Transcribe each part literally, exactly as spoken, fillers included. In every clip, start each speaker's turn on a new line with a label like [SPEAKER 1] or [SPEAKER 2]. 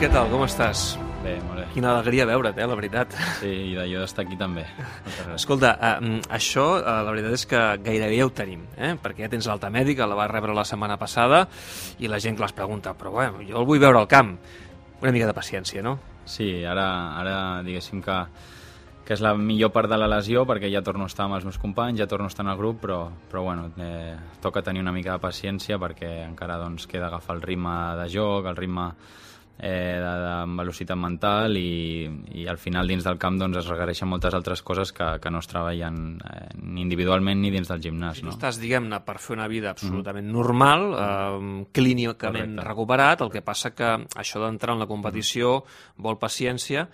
[SPEAKER 1] què tal? Com estàs?
[SPEAKER 2] Bé, molt bé.
[SPEAKER 1] Quina alegria veure't, eh, la veritat.
[SPEAKER 2] Sí, i d'allò d'estar aquí també.
[SPEAKER 1] Escolta, eh, això, eh, la veritat és que gairebé ja ho tenim, eh? Perquè ja tens l'alta mèdica, la vas rebre la setmana passada, i la gent que les pregunta, però bueno, jo el vull veure al camp. Una mica de paciència, no?
[SPEAKER 2] Sí, ara, ara diguéssim que, que és la millor part de la lesió, perquè ja torno a estar amb els meus companys, ja torno a estar en el grup, però, però bueno, eh, toca tenir una mica de paciència perquè encara doncs, queda agafar el ritme de joc, el ritme eh, de, de velocitat mental i, i al final dins del camp doncs, es requereixen moltes altres coses que, que no es treballen eh, ni individualment ni dins del gimnàs.
[SPEAKER 1] Si tu
[SPEAKER 2] no?
[SPEAKER 1] estàs, diguem-ne, per fer una vida absolutament mm-hmm. normal, eh, clínicament Correcte. recuperat, el que passa que això d'entrar en la competició vol paciència.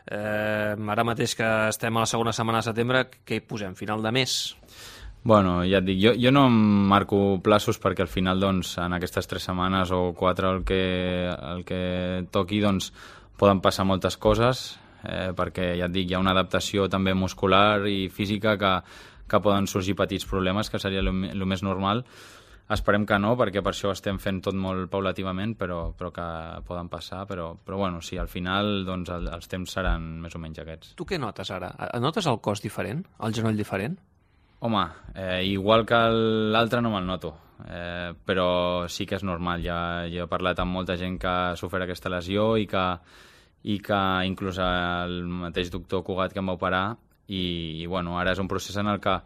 [SPEAKER 1] Eh, ara mateix que estem a la segona setmana de setembre, què hi posem? Final de mes?
[SPEAKER 2] Bueno, ja et dic, jo, jo no em marco plaços perquè al final doncs, en aquestes tres setmanes o quatre el que, el que toqui doncs, poden passar moltes coses eh, perquè ja et dic, hi ha una adaptació també muscular i física que, que poden sorgir petits problemes, que seria el més normal. Esperem que no, perquè per això estem fent tot molt paulativament, però, però que poden passar. Però, però bueno, sí, al final doncs, el, els temps seran més o menys aquests.
[SPEAKER 1] Tu què notes ara? Notes el cos diferent? El genoll diferent?
[SPEAKER 2] Home, eh, igual que l'altre no me'l noto, eh, però sí que és normal. Ja, ja he parlat amb molta gent que ha sofert aquesta lesió i que, i que inclús el mateix doctor Cugat que em va operar i, i bueno, ara és un procés en el que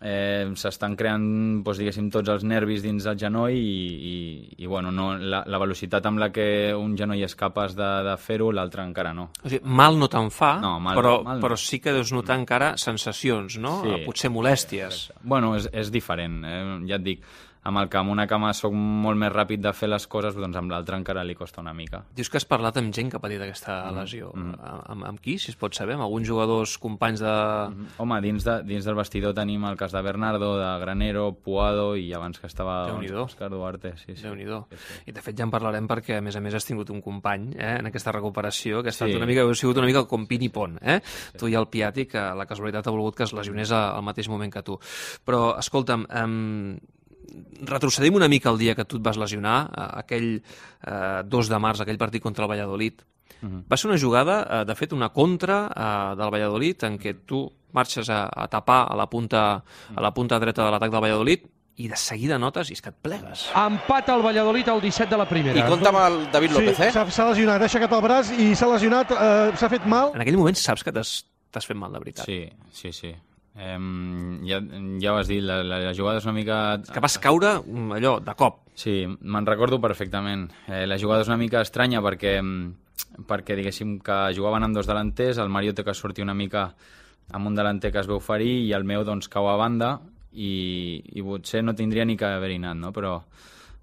[SPEAKER 2] Eh, s'estan creant doncs, diguéssim, tots els nervis dins del genoll i, i, i bueno, no, la, la velocitat amb la que un genoll és capaç de, de fer-ho, l'altre encara no.
[SPEAKER 1] O sigui, mal no te'n fa,
[SPEAKER 2] no, mal,
[SPEAKER 1] però,
[SPEAKER 2] mal no.
[SPEAKER 1] però sí que deus notar encara sensacions, no?
[SPEAKER 2] Sí.
[SPEAKER 1] Potser molèsties.
[SPEAKER 2] Bueno, és, és diferent, eh? Ja et dic, amb el que amb una cama soc molt més ràpid de fer les coses, doncs amb l'altra encara li costa una mica.
[SPEAKER 1] Dius que has parlat amb gent que ha patit aquesta mm, lesió. Mm. Amb, amb qui, si es pot saber? Amb alguns jugadors, companys de...
[SPEAKER 2] Mm. Home, dins, de, dins del vestidor tenim el cas de Bernardo, de Granero, Puado i abans que estava doncs, Òscar Duarte. Sí, sí.
[SPEAKER 1] Déu-n'hi-do.
[SPEAKER 2] Sí, sí.
[SPEAKER 1] I de fet ja en parlarem perquè, a més a més, has tingut un company eh, en aquesta recuperació que ha estat sí. una mica, ha sigut una mica com pin i pont. Eh? Sí. Tu i el Piatti, que la casualitat ha volgut que es lesionés al mateix moment que tu. Però, escolta'm, eh, retrocedim una mica el dia que tu et vas lesionar, aquell eh, dos de març, aquell partit contra el Valladolid. Uh-huh. Va ser una jugada, eh, de fet, una contra eh, del Valladolid, en què tu marxes a, a tapar a la punta, a la punta dreta de l'atac del Valladolid i de seguida notes i és que et plegues.
[SPEAKER 3] Empat al Valladolid al disset de la primera.
[SPEAKER 4] I compta amb el David López,
[SPEAKER 3] sí,
[SPEAKER 4] eh?
[SPEAKER 3] Sí, s'ha lesionat, ha aixecat el braç i s'ha lesionat, eh, s'ha fet mal.
[SPEAKER 1] En aquell moment saps que t'has fet mal, de veritat.
[SPEAKER 2] Sí, sí, sí. Eh, ja, ja ho has dit, la, la, la jugada és una mica...
[SPEAKER 1] Que vas caure allò, de cop.
[SPEAKER 2] Sí, me'n recordo perfectament. Eh, la jugada és una mica estranya perquè, perquè diguéssim que jugaven amb dos delanters, el Mario té que sortir una mica amb un delanter que es veu ferir i el meu doncs cau a banda i, i potser no tindria ni que haver-hi anat, no? Però,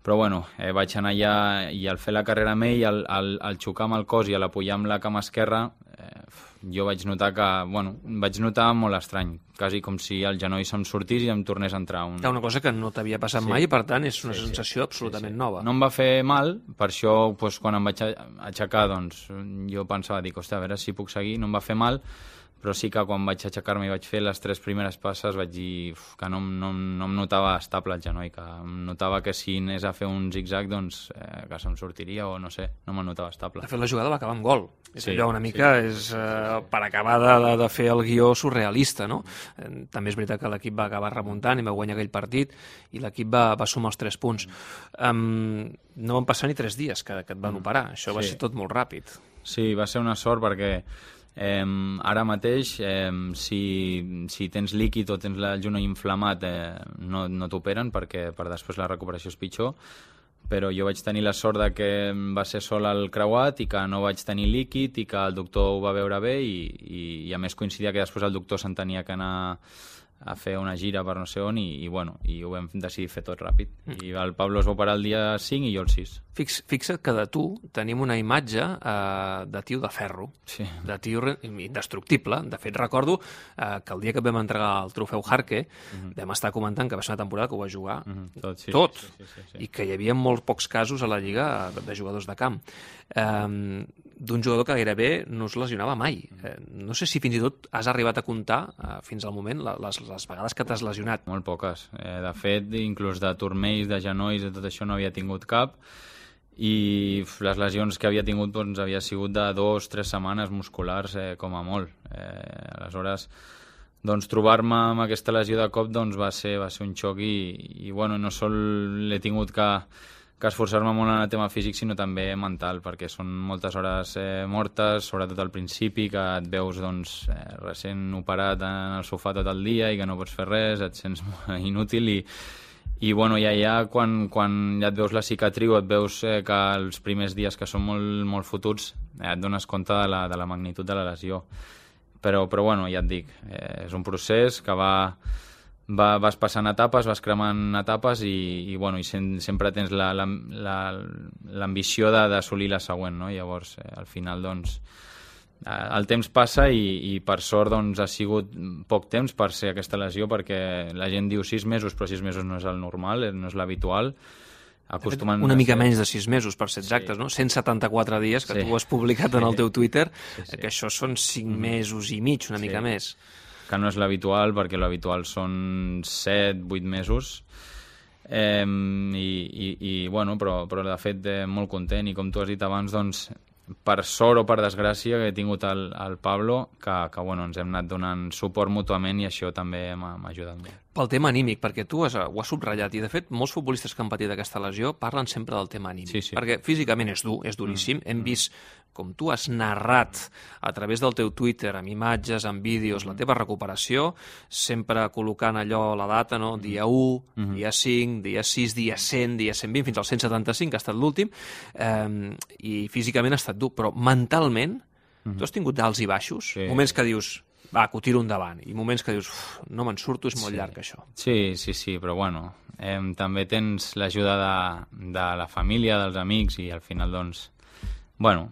[SPEAKER 2] però bueno, eh, vaig anar allà i al fer la carrera amb ell, al, al, al xocar amb el cos i a l'apoyar amb la cama esquerra, eh, jo vaig notar que, bueno, vaig notar molt estrany, quasi com si el genoll se'm sortís i em tornés a entrar. Un...
[SPEAKER 1] Una cosa que no t'havia passat sí. mai i, per tant, és una sí, sensació sí, absolutament
[SPEAKER 2] sí, sí.
[SPEAKER 1] nova.
[SPEAKER 2] No em va fer mal, per això, doncs, quan em vaig aixecar, doncs, jo pensava, dic, hòstia, a veure si puc seguir, no em va fer mal, però sí que quan vaig aixecar-me i vaig fer les tres primeres passes vaig dir uf, que no, no, no em notava estable el genoll, que em notava que si anés a fer un zig-zag doncs eh, que se'm sortiria o no sé, no me'l notava estable.
[SPEAKER 1] De fet, la jugada va acabar amb gol. És
[SPEAKER 2] sí,
[SPEAKER 1] allò una mica,
[SPEAKER 2] sí,
[SPEAKER 1] és eh, per acabar de, de fer el guió surrealista, no? Eh, també és veritat que l'equip va acabar remuntant i va guanyar aquell partit i l'equip va, va sumar els tres punts. Um, no van passar ni tres dies que, que et van operar, això va sí. ser tot molt ràpid.
[SPEAKER 2] Sí, va ser una sort perquè Eh, ara mateix, eh, si, si tens líquid o tens el genoll inflamat, eh, no, no t'operen perquè per després la recuperació és pitjor, però jo vaig tenir la sort de que va ser sol el creuat i que no vaig tenir líquid i que el doctor ho va veure bé i, i, i a més coincidia que després el doctor se'n tenia que anar a fer una gira per no sé on i, i, bueno, i ho vam decidir fer tot ràpid. Mm. I el Pablo es va operar el dia cinc i jo el sis.
[SPEAKER 1] Fix, fixa't que de tu tenim una imatge eh, de tio de ferro,
[SPEAKER 2] sí.
[SPEAKER 1] de tio indestructible. De fet, recordo eh, que el dia que vam entregar el trofeu Jarque mm-hmm. vam estar comentant que va ser una temporada que ho va jugar mm-hmm. tot, sí, tot. Sí, sí, sí, sí. I que hi havia molts pocs casos a la Lliga de, de jugadors de camp. Eh, d'un jugador que gairebé no es lesionava mai. Eh, no sé si fins i tot has arribat a comptar eh, fins al moment les, les vegades que t'has lesionat.
[SPEAKER 2] Molt poques. Eh, de fet, inclús de turmells, de genolls, de tot això no havia tingut cap. i les lesions que havia tingut doncs, havia sigut de dos, tres setmanes musculars eh, com a molt. Eh, aleshores, doncs, trobar-me amb aquesta lesió de cop doncs, va, ser, va ser un xoc i, i bueno, no sol l'he tingut que, que esforçar-me molt en el tema físic, sinó també mental, perquè són moltes hores eh, mortes, sobretot al principi, que et veus doncs, eh, recent operat en el sofà tot el dia i que no pots fer res, et sents inútil i I bueno, ja, ja quan, quan ja et veus la cicatriu, et veus eh, que els primers dies que són molt, molt fotuts eh, et dones compte de la, de la magnitud de la lesió. Però, però bueno, ja et dic, eh, és un procés que va, va, vas passant etapes, vas cremant etapes i, i, bueno, i sem sempre tens l'ambició d'assolir la següent, no? Llavors, eh, al final, doncs, el temps passa i, i per sort doncs, ha sigut poc temps per ser aquesta lesió, perquè la gent diu sis mesos, però sis mesos no és el normal, no és l'habitual.
[SPEAKER 1] Una mica menys de sis mesos, per ser exactes, sí. No? cent setanta-quatre dies, que sí. Tu ho has publicat en el teu Twitter, sí, sí. Que això són cinc mm. mesos i mig, una sí. mica més.
[SPEAKER 2] Que no és l'habitual, perquè l'habitual són set, vuit mesos. Eh, i, i, i, bueno, però, però de fet eh, molt content, i com tu has dit abans, doncs, per sort o per desgràcia que he tingut el, el Pablo, que, que bueno, ens hem anat donant suport mútuament i això també m'ha ajudat molt.
[SPEAKER 1] Pel tema anímic, perquè tu has, ho has subratllat, i de fet molts futbolistes que han patit aquesta lesió parlen sempre del tema anímic,
[SPEAKER 2] sí, sí.
[SPEAKER 1] Perquè físicament és dur, és duríssim, mm. hem vist com tu has narrat a través del teu Twitter, amb imatges, amb vídeos, la teva recuperació, sempre col·locant allò, la data, no? Dia u, mm-hmm. dia cinc, dia sis, dia cent, dia cent vint, fins al cent setanta-cinc, que ha estat l'últim, eh, i físicament ha estat dur, però mentalment mm-hmm. tu has tingut d'alts i baixos, sí. Moments que dius, va, que ho tiro endavant, i moments que dius, no me'n surto, és molt
[SPEAKER 2] sí.
[SPEAKER 1] llarg això.
[SPEAKER 2] Sí, sí, sí, però bueno, eh, també tens l'ajuda de, de la família, dels amics, i al final, doncs, bueno,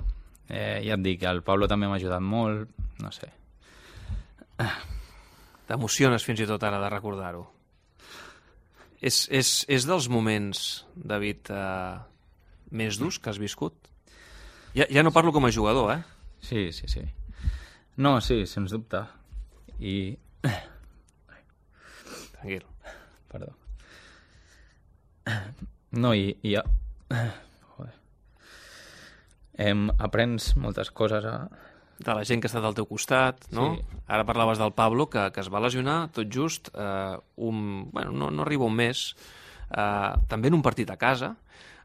[SPEAKER 2] eh, ja et dic, el Pablo també m'ha ajudat molt, no sé.
[SPEAKER 1] T'emociones fins i tot ara de recordar-ho. És, és, és dels moments, David, eh, més durs que has viscut? Ja, ja no parlo com a jugador, eh?
[SPEAKER 2] Sí, sí, sí. No, sí, sens dubte. I...
[SPEAKER 1] Tranquil.
[SPEAKER 2] Perdó. No, i... i... Joder. Em, aprens moltes coses a...
[SPEAKER 1] De la gent que ha estat al teu costat, no?
[SPEAKER 2] Sí.
[SPEAKER 1] Ara parlaves del Pablo, que, que es va lesionar tot just eh, un... Bueno, no, no arriba un mes, eh, també en un partit a casa,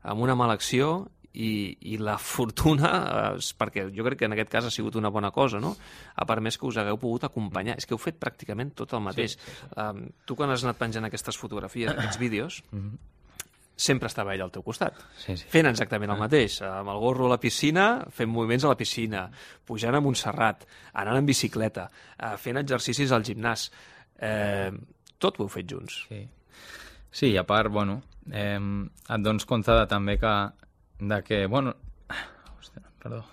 [SPEAKER 1] amb una mala acció, i, i la fortuna, eh, perquè jo crec que en aquest cas ha sigut una bona cosa, no? Ha permès que us hagueu pogut acompanyar. És que heu fet pràcticament tot el mateix. Sí, sí, sí. Um, tu, quan has anat penjant aquestes fotografies, aquests vídeos, mm-hmm. sempre estava ell al teu costat,
[SPEAKER 2] sí, sí.
[SPEAKER 1] fent exactament el mateix, amb el gorro a la piscina, fent moviments a la piscina, pujant a Montserrat, anant en bicicleta, fent exercicis al gimnàs. Eh, tot ho heu fet junts.
[SPEAKER 2] Sí, sí, i a part, bueno, eh, et dones compte de, també que de que, bueno, hòstia, perdó,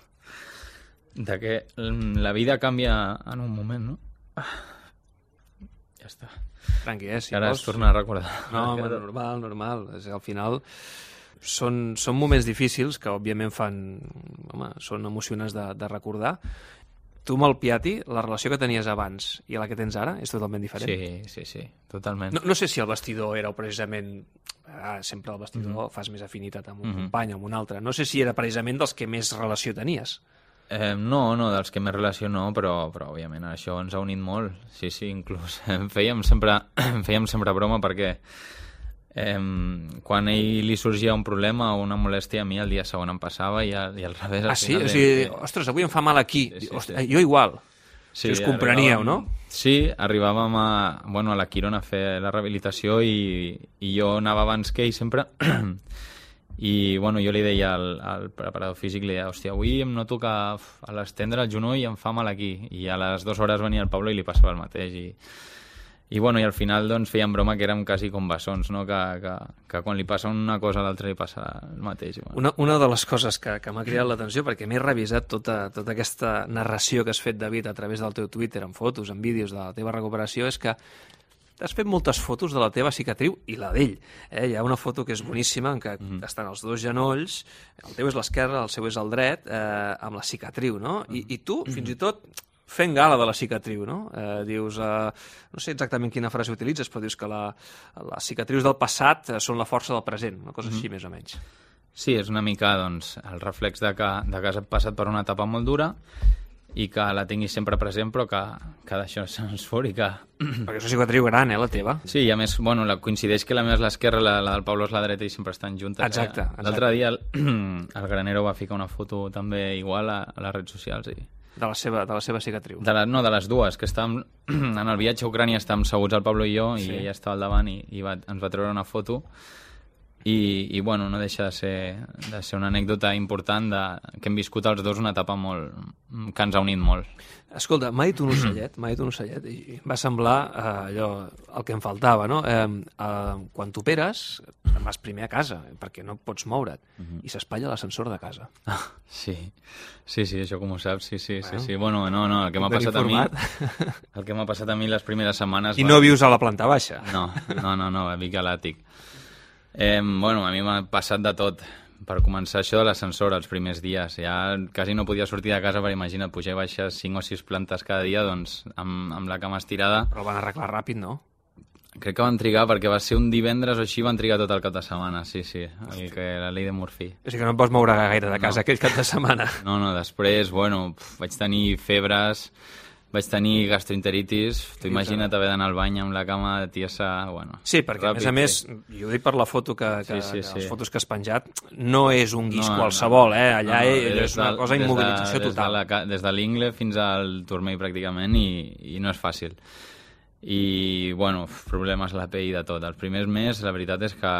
[SPEAKER 2] de que la vida canvia en un moment, no? Ja està.
[SPEAKER 1] Tranqui, eh? Si
[SPEAKER 2] ara
[SPEAKER 1] vols...
[SPEAKER 2] es torna a recordar.
[SPEAKER 1] No, home, normal, normal. És, al final són, són moments difícils que, òbviament, fan... Home, són emocionants de, de recordar. Tu amb el Piatti, la relació que tenies abans i la que tens ara és totalment diferent.
[SPEAKER 2] Sí, sí, sí, totalment.
[SPEAKER 1] No, no sé si el vestidor era precisament... Ah, sempre al vestidor mm-hmm. fas més afinitat amb un mm-hmm. company, amb un altre. No sé si era precisament dels que més relació tenies.
[SPEAKER 2] Eh, no, no, dels que més relació no, però, però òbviament això ens ha unit molt. Sí, sí, inclús fèiem sempre, fèiem sempre broma perquè eh, quan a ell li sorgia un problema o una molèstia, a mi el dia següent em passava i, al, i al revés.
[SPEAKER 1] Ah, sí? O sigui, ostres, avui em fa mal aquí. Sí, sí, Ostres, sí. Jo igual. Sí, si us compreníeu, no?
[SPEAKER 2] Sí, arribàvem a, bueno, a la Quirona a fer la rehabilitació i, i jo anava abans que ell sempre i bueno, jo li deia al, al preparador físic, li deia, hòstia, avui em noto que a l'estendre el genoll em fa mal aquí, i a les dues hores venia el Pablo i li passava el mateix, i, i bueno, i al final doncs feien broma que érem quasi com bessons, no? que, que, que quan li passa una cosa a l'altra li passa el mateix. Bueno.
[SPEAKER 1] Una, una de les coses que, que m'ha cridat l'atenció, perquè m'he revisat tota, tota aquesta narració que has fet, David, a través del teu Twitter, amb fotos, amb vídeos de la teva recuperació, és que has fet moltes fotos de la teva cicatriu i la d'ell. Eh? Hi ha una foto que és boníssima, en què mm-hmm. estan els dos genolls, el teu és l'esquerre, el seu és el dret, eh, amb la cicatriu, no? I, i tu, mm-hmm. fins i tot, fent gala de la cicatriu, no? Eh, dius, eh, no sé exactament quina frase utilitzes, però dius que la, les cicatrius del passat són la força del present, una cosa mm-hmm. així, més o menys.
[SPEAKER 2] Sí, és una mica doncs, el reflex de que, de que has passat per una etapa molt dura i que la tinguis sempre present, però que, que d'això se'ns fot i que...
[SPEAKER 1] Perquè és una cicatriu gran, eh, la teva.
[SPEAKER 2] Sí, i a més, bueno, la, coincideix que la meva és l'esquerra, la, la del Pablo és la dreta i sempre estan juntes.
[SPEAKER 1] Exacte.
[SPEAKER 2] Eh?
[SPEAKER 1] exacte.
[SPEAKER 2] L'altre dia el, el Granero va ficar una foto també igual a, a les redes socials. I...
[SPEAKER 1] De la seva, de la seva cicatriu.
[SPEAKER 2] De la, no, de les dues, que estàvem en el viatge a Ucrània estàvem seguts el Pablo i jo, sí. I ella estava al davant i, i va, ens va treure una foto. I, i bueno, no deixa de ser, de ser una anècdota important de, que hem viscut els dos una etapa molt, que ens ha unit molt.
[SPEAKER 1] Escolta, m'ha dit un ocellet, m'ha dit un ocellet, i va semblar eh, allò, el que em faltava, no? Eh, eh, quan t'operes, vas primer a casa, perquè no pots moure't, uh-huh. I s'espatlla l'ascensor de casa.
[SPEAKER 2] Ah, sí, sí, sí, això com ho saps, sí, sí, bueno, sí, sí. Bueno, no, no, el que m'ha passat
[SPEAKER 1] informat.
[SPEAKER 2] a mi, el que m'ha passat a mi les primeres setmanes...
[SPEAKER 1] I
[SPEAKER 2] va...
[SPEAKER 1] no vius a la planta baixa?
[SPEAKER 2] No, no, no, no, vic a l'àtic. Eh, bueno, a mi m'ha passat de tot. Per començar, això de l'ascensor els primers dies. Ja quasi no podia sortir de casa, perquè imagina't, pujar i baixar cinc o sis plantes cada dia, doncs, amb, amb la cama estirada.
[SPEAKER 1] Però ho van arreglar ràpid, no?
[SPEAKER 2] Crec que van trigar, perquè va ser un divendres o així, van trigar tot el cap de setmana, sí, sí, el que, la llei de Murphy.
[SPEAKER 1] O sigui que no em pots moure gaire de casa no. Aquell cap de setmana.
[SPEAKER 2] No, no, després, bueno, pf, vaig tenir febres... Vaig tenir gastroenteritis, tu imagina't haver d'anar al bany amb la cama de tiesa, bueno...
[SPEAKER 1] Sí, perquè ràpid, a més a més, sí. Jo ho dic per la foto que, que, sí, sí, que les sí. fotos que has penjat, no és un guix no, qualsevol, eh? Allà no, no, és una de, cosa immobilització
[SPEAKER 2] de,
[SPEAKER 1] total.
[SPEAKER 2] Des de, la, des de l'ingle fins al turmell pràcticament i, i no és fàcil. I, bueno, problemes a la pell i de tot. Els primers mesos, la veritat és que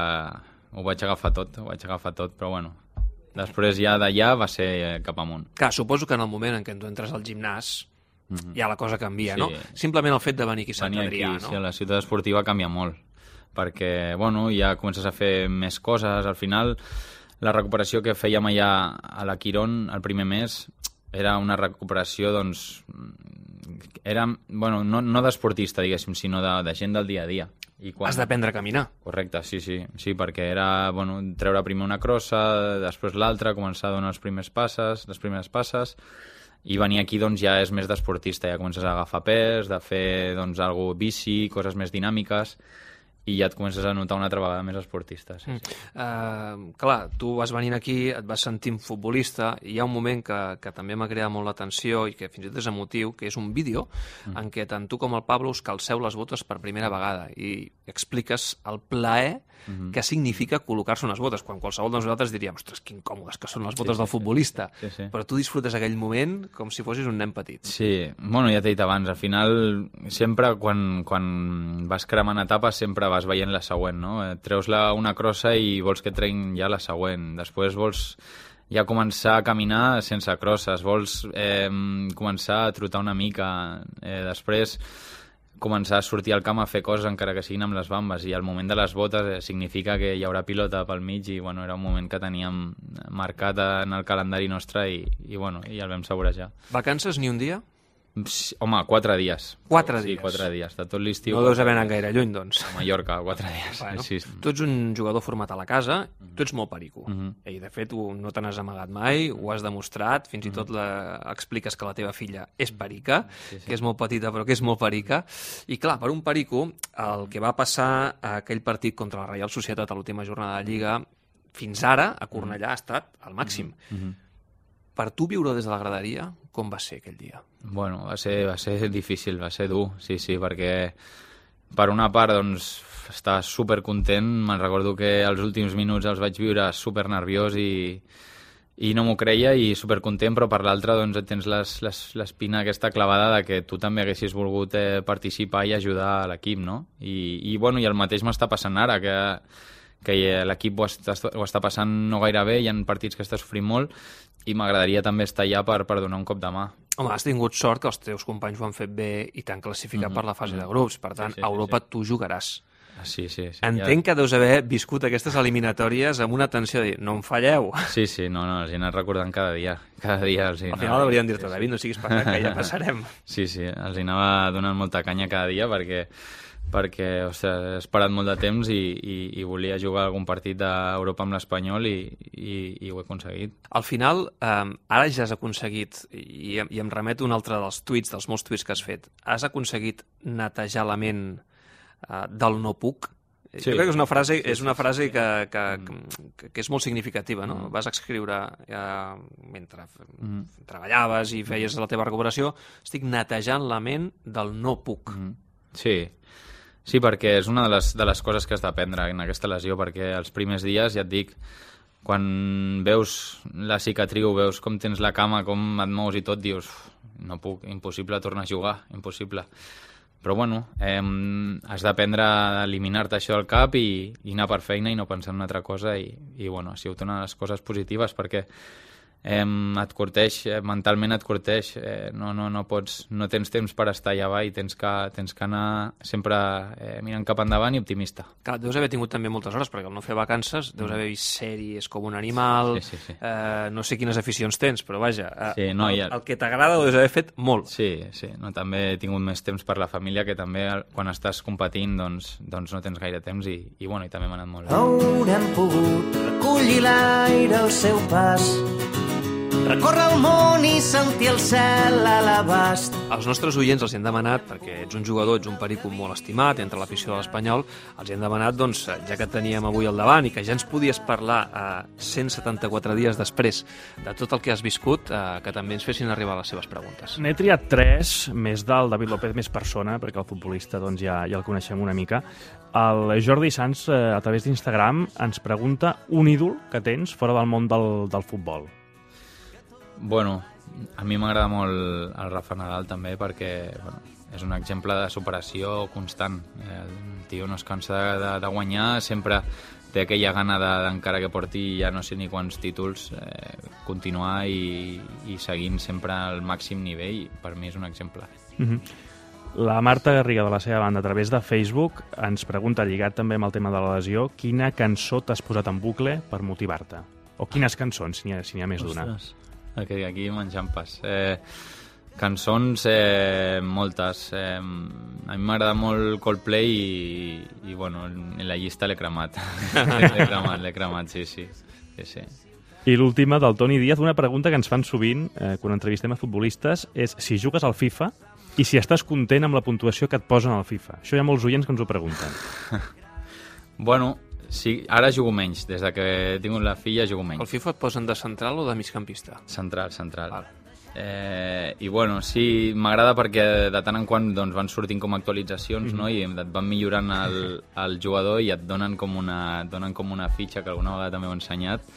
[SPEAKER 2] ho vaig agafar tot, ho vaig agafar tot, però bueno... Després ja d'allà va ser cap amunt.
[SPEAKER 1] Clar, suposo que en el moment en què tu entres al gimnàs Mm-hmm. ja la cosa canvia, sí. No? Simplement el fet de venir aquí a Sant Adrià, no?
[SPEAKER 2] Sí, la ciutat esportiva canvia molt, perquè, bueno, ja comences a fer més coses. Al final, la recuperació que fèiem allà a la Quirón el primer mes era una recuperació, doncs, era, bueno, no, no d'esportista, diguéssim, sinó de, de gent del dia a dia.
[SPEAKER 1] I quan... Has d'aprendre a caminar.
[SPEAKER 2] Correcte, sí, sí, sí, perquè era, bueno, treure primer una crossa, després l'altra, començar a donar els primers passes, les primeres passes, i venir aquí doncs ja és més d'esportista, ja comences a agafar pes, de fer doncs algo bici, coses més dinàmiques, i ja et comences a notar una altra vegada més esportista. Sí, sí.
[SPEAKER 1] Mm. Uh, clar, tu vas venint aquí, et vas sentint futbolista, i hi ha un moment que, que també m'ha cridat molt l'atenció i que fins i tot és emotiu, que és un vídeo mm. en què tant tu com el Pablo us calceu les botes per primera vegada i expliques el plaer mm-hmm. que significa col·locar-se unes botes, quan qualsevol de nosaltres diríem, ostres, que incòmodes que són les botes sí, del futbolista, sí, sí. Però tu disfrutes aquell moment com si fossis un nen petit.
[SPEAKER 2] Sí, bueno, ja t'he dit abans, al final sempre quan, quan vas cremant etapes sempre vas veient la següent, no? Treus la, una crossa i vols que treguin ja la següent, després vols ja començar a caminar sense crosses, vols eh, començar a trotar una mica, eh, després començar a sortir al camp a fer coses encara que siguin amb les bambes, i el moment de les botes eh, significa que hi haurà pilota pel mig, i bueno, era un moment que teníem marcat en el calendari nostre i, i, bueno, i el vam saborejar.
[SPEAKER 1] Vacances ni un dia?
[SPEAKER 2] Home, quatre dies.
[SPEAKER 1] Quatre
[SPEAKER 2] sí,
[SPEAKER 1] dies?
[SPEAKER 2] Sí, quatre dies, de tot l'estiu.
[SPEAKER 1] No deus haver anat gaire lluny, doncs.
[SPEAKER 2] A Mallorca, quatre dies.
[SPEAKER 1] Bueno,
[SPEAKER 2] sí.
[SPEAKER 1] Tu ets un jugador format a la casa, tu ets molt perico. Uh-huh. I, de fet, no te n'has amagat mai, ho has demostrat, fins i tot la... expliques que la teva filla és perica, sí, sí. Que és molt petita, però que és molt perica. I, clar, per un perico, el que va passar a aquell partit contra la Reial Societat a l'última jornada de Lliga, fins ara, a Cornellà, ha estat al màxim. Uh-huh. Per tu viure des de la graderia, com va ser aquell dia?
[SPEAKER 2] Bueno, va ser, va ser difícil, va ser dur, sí, sí, perquè per una part, doncs, estava supercontent, me'n recordo que els últims minuts els vaig viure super nerviós i, i no m'ho creia, i supercontent, però per l'altra, doncs, tens l'espina aquesta clavada de que tu també haguessis volgut eh, participar i ajudar a l'equip, no? I, i, bueno, i el mateix m'està passant ara, que que l'equip ho, està, ho està passant no gaire bé, hi ha partits que està sofrint molt, i m'agradaria també estar allà per, per donar un cop de mà.
[SPEAKER 1] Home, has tingut sort que els teus companys ho han fet bé i t'han classificat mm-hmm. per la fase de grups, per tant, sí, sí, a Europa sí, sí. tu jugaràs.
[SPEAKER 2] Sí, sí, sí.
[SPEAKER 1] Entenc ja... que deus haver viscut aquestes eliminatòries amb una tensió de dir, no em falleu.
[SPEAKER 2] Sí, sí, no, no, els he anat recordant cada dia. Cada dia els
[SPEAKER 1] Al final haurien dir-te, sí, David, no siguis passat, que ja passarem.
[SPEAKER 2] Sí, sí, els hi anava donant molta canya cada dia perquè... perquè ostres, he esperat molt de temps i, i, i volia jugar algun partit d'Europa amb l'Espanyol i, i, i ho he aconseguit.
[SPEAKER 1] Al final, eh, ara ja has aconseguit, i, i em remeto un altre dels tuits, dels molts tuits que has fet, has aconseguit netejar la ment eh, del no puc, Sí, jo crec que és una frase, és una frase que, que, que, que és molt significativa, no? Mm. Vas escriure eh, mentre mm. treballaves i feies la teva recuperació, estic netejant la ment del no puc. Mm.
[SPEAKER 2] Sí, sí, perquè és una de les, de les coses que has d'aprendre en aquesta lesió, perquè els primers dies, ja et dic, quan veus la cicatriu, veus com tens la cama, com et mous i tot, dius, no puc, impossible tornar a jugar, impossible. Però bueno, eh, has d'aprendre a eliminar-te això del cap i, i anar per feina i no pensar en una altra cosa i, i bueno, ha sigut una de les coses positives perquè eh, et corteix, eh, mentalment et corteix, eh, no, no, no, pots, no tens temps per estar allà avall, tens que, tens que anar sempre eh, mirant cap endavant i optimista.
[SPEAKER 1] Clar, deus haver tingut també moltes hores, perquè al no fer vacances deus haver vist sèries com un animal,
[SPEAKER 2] sí, sí, sí.
[SPEAKER 1] Eh, no sé quines aficions tens, però vaja, eh,
[SPEAKER 2] sí, no,
[SPEAKER 1] el,
[SPEAKER 2] ja...
[SPEAKER 1] el que t'agrada ho deus haver fet molt.
[SPEAKER 2] Sí, sí, no, també he tingut més temps per la família, que també quan estàs competint doncs, doncs no tens gaire temps i, i, bueno, i també m'ha anat molt bé.
[SPEAKER 4] Haurem pogut recollir l'aire al seu pas, recórrer el món i sentir el cel a l'abast.
[SPEAKER 1] Els nostres oients els hi han demanat, perquè ets un jugador, ets un perico molt estimat entre l'afició de l'Espanyol, els hi han demanat, doncs, ja que teníem avui al davant i que ja ens podies parlar a cent setanta-quatre dies després de tot el que has viscut, eh, que també ens fessin arribar les seves preguntes.
[SPEAKER 5] N'he triat tres, més del David López, més persona, perquè el futbolista doncs, ja, ja el coneixem una mica. El Jordi Sans, eh, a través d'Instagram, ens pregunta un ídol que tens fora del món del, del futbol.
[SPEAKER 2] Bueno, a mi m'agrada molt el Rafa Nadal també perquè bueno, és un exemple de superació constant. El tio no es cansa de, de, de guanyar, sempre té aquella gana de, encara que porti ja no sé ni quants títols, eh, continuar i, i seguint sempre al màxim nivell. Per mi és un exemple.
[SPEAKER 5] Mm-hmm. La Marta Garriga, de la seva banda, a través de Facebook, ens pregunta, lligat també amb el tema de la lesió, quina cançó t'has posat en bucle per motivar-te? O quines cançons, si n'hi ha, si n'hi ha més d'una?
[SPEAKER 2] Aquí, aquí menjant pas. Eh, cançons, eh, moltes. Eh, a mi m'agrada molt Coldplay i, i bueno, en la llista l'he cremat. l'he cremat, l'he cremat, sí, sí. sí, sí.
[SPEAKER 5] I l'última, del Toni Díaz, una pregunta que ens fan sovint eh, quan entrevistem a futbolistes, és si jugues al FIFA i si estàs content amb la puntuació que et posen al FIFA. Això hi ha molts oients que ens ho pregunten.
[SPEAKER 2] Bueno, sí, ara jugo menys. Des de que he tingut la filla jugo menys.
[SPEAKER 1] El FIFA et posen de central o de migcampista?
[SPEAKER 2] Central, central.
[SPEAKER 1] Val.
[SPEAKER 2] Eh, I bueno, sí, m'agrada perquè de tant en quant doncs, van sortint com actualitzacions, mm-hmm. no? I et van millorant el, el jugador i et donen com, una, et donen com una fitxa, que alguna vegada també ho he ensenyat,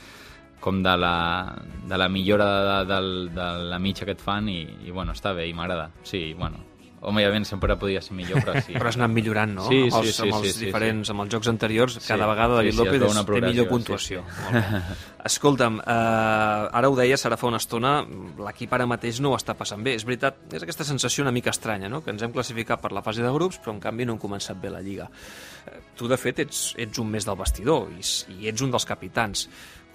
[SPEAKER 2] com de la, de la millora de, de, de, de la mitja que et fan i, i bueno, està bé i m'agrada. Sí, bueno, òbviament sempre podia ser millor, però sí.
[SPEAKER 1] Però has anat millorant, no?
[SPEAKER 2] Sí,
[SPEAKER 1] amb els,
[SPEAKER 2] sí, sí,
[SPEAKER 1] amb els
[SPEAKER 2] sí,
[SPEAKER 1] diferents,
[SPEAKER 2] sí.
[SPEAKER 1] amb els jocs anteriors,
[SPEAKER 2] Sí,
[SPEAKER 1] cada vegada David
[SPEAKER 2] sí, sí,
[SPEAKER 1] López
[SPEAKER 2] es veu una
[SPEAKER 1] té millor puntuació.
[SPEAKER 2] sí, sí.
[SPEAKER 1] Escolta'm, eh, ara ho deies, ara fa una estona, l'equip ara mateix no ho està passant bé. És veritat, és aquesta sensació una mica estranya, no? Que ens hem classificat per la fase de grups, però en canvi no hem començat bé la Lliga. Eh, tu, de fet, ets, ets un més del vestidor i, i ets un dels capitans.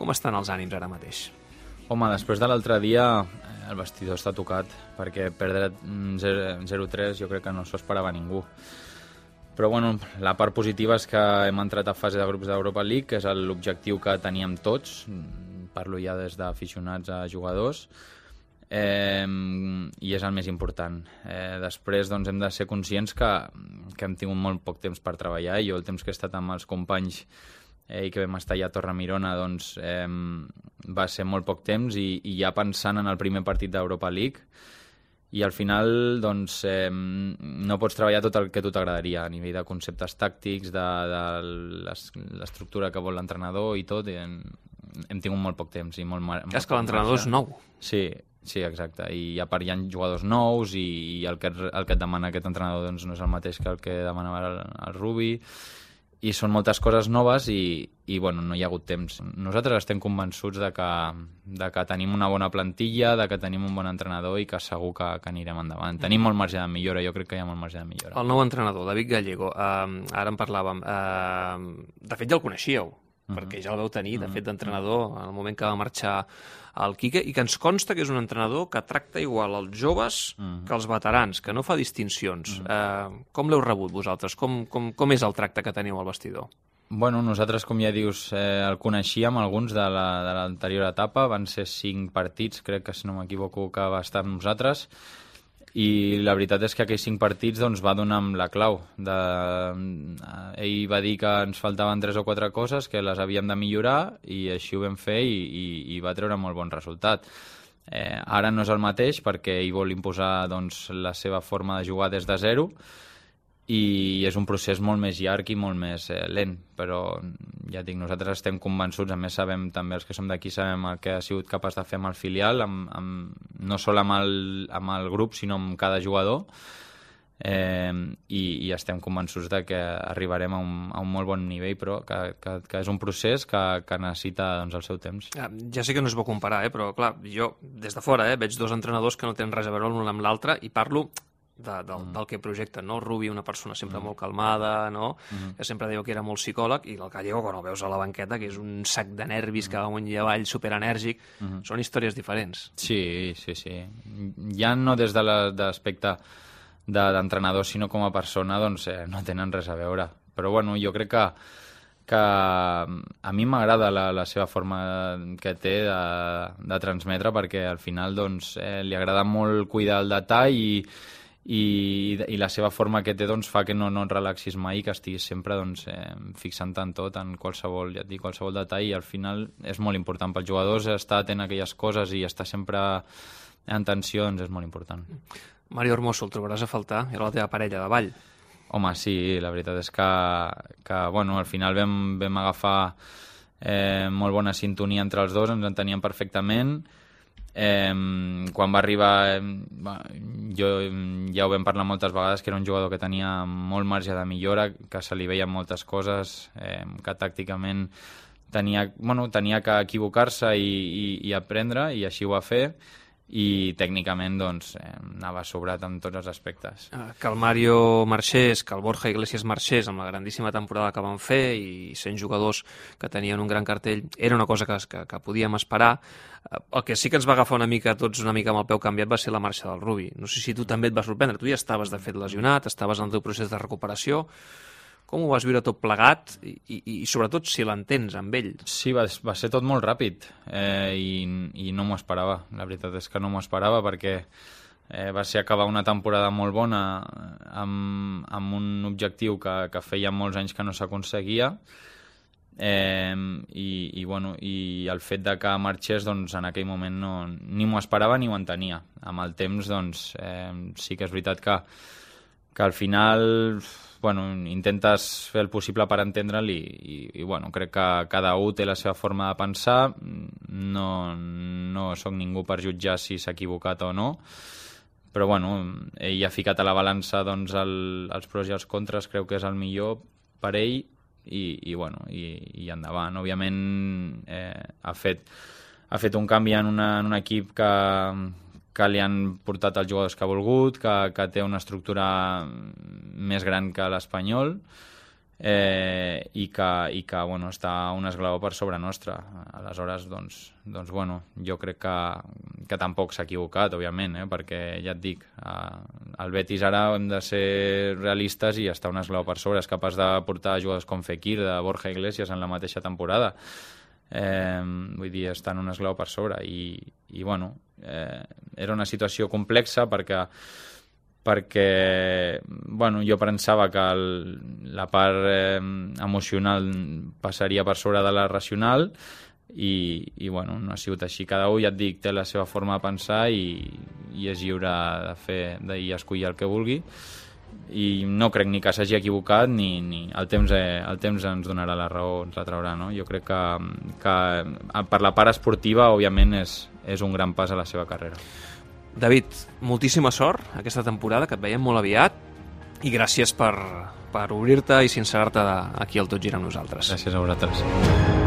[SPEAKER 1] Com estan els ànims ara mateix?
[SPEAKER 2] Home, després de l'altre dia el vestidor està tocat, perquè perdre zero tres jo crec que no s'ho esperava ningú. Però bueno, la part positiva és que hem entrat a fase de grups d'Europa League, que és l'objectiu que teníem tots, parlo ja des d'aficionats a jugadors, eh, i és el més important. Eh, després doncs, hem de ser conscients que, que hem tingut molt poc temps per treballar, i jo el temps que he estat amb els companys eh, i que vam estar allà a Torremirona doncs, eh, va ser molt poc temps i, i ja pensant en el primer partit d'Europa League, i al final doncs, eh, no pots treballar tot el que a tu t'agradaria a nivell de conceptes tàctics, de, de l'estructura que vol l'entrenador i tot, i hem, hem tingut molt poc temps. I molt, molt
[SPEAKER 1] és que l'entrenador és nou.
[SPEAKER 2] Sí, sí, exacte, i a part hi ha jugadors nous i, i el, que, el que et demana aquest entrenador doncs, no és el mateix que el que demanava el, el Rubi, i són moltes coses noves i, i bueno, no hi ha hagut temps. Nosaltres estem convençuts de que, de que tenim una bona plantilla, de que tenim un bon entrenador i que segur que, que anirem endavant. Tenim molt marge de millora, jo crec que hi ha molt marge de millora.
[SPEAKER 1] El nou entrenador, David Gallego, eh, ara en parlàvem, eh, de fet ja el coneixíeu, uh-huh. perquè ja el vau tenir, de fet, d'entrenador en el moment que va marxar el Quique, i que ens consta que és un entrenador que tracta igual els joves uh-huh. que els veterans, que no fa distincions. Uh-huh. Eh, com l'heu rebut vosaltres? Com, com, com és el tracte que teniu al vestidor?
[SPEAKER 2] Bueno, nosaltres, com ja dius, eh, el coneixíem alguns de l'anterior etapa, van ser cinc partits, crec que si no m'equivoco que va estar amb nosaltres, i la veritat és que aquells cinc partits doncs, va donar amb la clau. De... Ell va dir que ens faltaven tres o quatre coses, que les havíem de millorar, i així ho vam fer i, i, i va treure molt bon resultat. Eh, ara no és el mateix perquè ell vol imposar doncs, la seva forma de jugar des de zero, i és un procés molt més llarg i molt més eh, lent, però ja dic, nosaltres estem convençuts, a més sabem també els que som d'aquí, sabem el que ha sigut capaç de fer amb el filial, amb, amb, no sol amb el, amb el grup sinó amb cada jugador, eh, i, i estem convençuts de que arribarem a un, a un molt bon nivell, però que, que, que és un procés que, que necessita doncs, el seu temps.
[SPEAKER 1] Ja, ja sé que no es pot comparar, eh, però clar, jo des de fora eh, veig dos entrenadors que no tenen res a veure l'un amb l'altre i parlo De, del, mm. del que projecta, no? Rubi, una persona sempre mm. molt calmada, no? Mm. que sempre diu que era molt psicòleg, i el Gallego, quan el veus a la banqueta, que és un sac de nervis mm. que va amunt i avall, superenèrgic, mm. són històries diferents.
[SPEAKER 2] Sí, sí, sí. Ja no des de l'aspecte de, d'entrenador, sinó com a persona, doncs eh, no tenen res a veure. Però bueno, jo crec que que a mi m'agrada la, la seva forma que té de, de transmetre, perquè al final doncs, eh, li agrada molt cuidar el detall i I, i la seva forma que té doncs, fa que no, no et relaxis mai, que estiguis sempre doncs, eh, fixant-te en tot, en qualsevol, ja et dic, qualsevol detall, i al final és molt important pels jugadors estar atent a aquelles coses i estar sempre en tensió, doncs és molt important.
[SPEAKER 1] Mario Hermoso, el trobaràs a faltar? Era la teva parella de ball.
[SPEAKER 2] Home, sí, la veritat és que, que bueno, al final vam, vam agafar eh, molt bona sintonia entre els dos, ens enteníem perfectament. Eh, quan va arribar eh, jo ja ho vam parlar moltes vegades, que era un jugador que tenia molt marge de millora, que se li veien moltes coses, eh, que tàcticament tenia, bueno, tenia que equivocar-se i, i, i aprendre, i així ho va fer, i tècnicament doncs, eh, anava sobrat en tots els aspectes.
[SPEAKER 1] Que el Mario marxés, que el Borja Iglesias marxés amb la grandíssima temporada que van fer i sent jugadors que tenien un gran cartell, era una cosa que, que, que podíem esperar. El que sí que ens va agafar una mica tots una mica amb el peu canviat va ser la marxa del Rubi. No sé si tu també et va sorprendre, tu ja estaves de fet lesionat, estaves en el teu procés de recuperació. Com ho vas viure tot plegat i, i, i sobretot si l'entens amb ell?
[SPEAKER 2] Sí, va, va ser tot molt ràpid eh, i, i no m'ho esperava. La veritat és que no m'ho esperava perquè eh, va ser acabar una temporada molt bona amb, amb un objectiu que, que feia molts anys que no s'aconseguia, eh, i, i, bueno, i el fet de que marxés doncs, en aquell moment no, ni m'ho esperava ni ho entenia. Amb el temps doncs, eh, sí que és veritat que, que al final... Bueno, intentes fer el possible per entendre'l i, i, i bueno, crec que cada un té la seva forma de pensar, no, no sóc ningú per jutjar si s'ha equivocat o no, però bueno, ell ha ficat a la balança doncs, el, els pros i els contres, creu que és el millor per ell i, i, bueno, i, i endavant. Òbviament eh, ha, fet, ha fet un canvi en, una, en un equip que... que li han portat els jugadors que ha volgut, que, que té una estructura més gran que l'Espanyol, eh, i que, i que bueno, està un esglaó per sobre nostra. Aleshores, doncs, doncs bueno, jo crec que, que tampoc s'ha equivocat, òbviament, eh, perquè ja et dic, eh, el Betis ara hem de ser realistes i està un esglaó per sobre, és capaç de portar jugadors com Fekir, de Borja Iglesias en la mateixa temporada. Eh, vull dir, està en un esglaó per sobre i, i bueno, eh, era una situació complexa perquè perquè bueno, jo pensava que el, la part eh, emocional passaria per sobre de la racional i, i bueno, no ha sigut així. Cada un, ja et dic, té la seva forma de pensar i, i és lliure de fer i escollir el que vulgui, i no crec ni que s'hagi equivocat ni, ni el, temps, eh, el temps ens donarà la raó, ens la traurà, no? Jo crec que, que per la part esportiva òbviament és, és un gran pas a la seva carrera.
[SPEAKER 1] David, moltíssima sort aquesta temporada, que et veiem molt aviat, i gràcies per, per obrir-te i sincerar-te aquí al Tot Gira amb nosaltres.
[SPEAKER 2] Gràcies a vosaltres.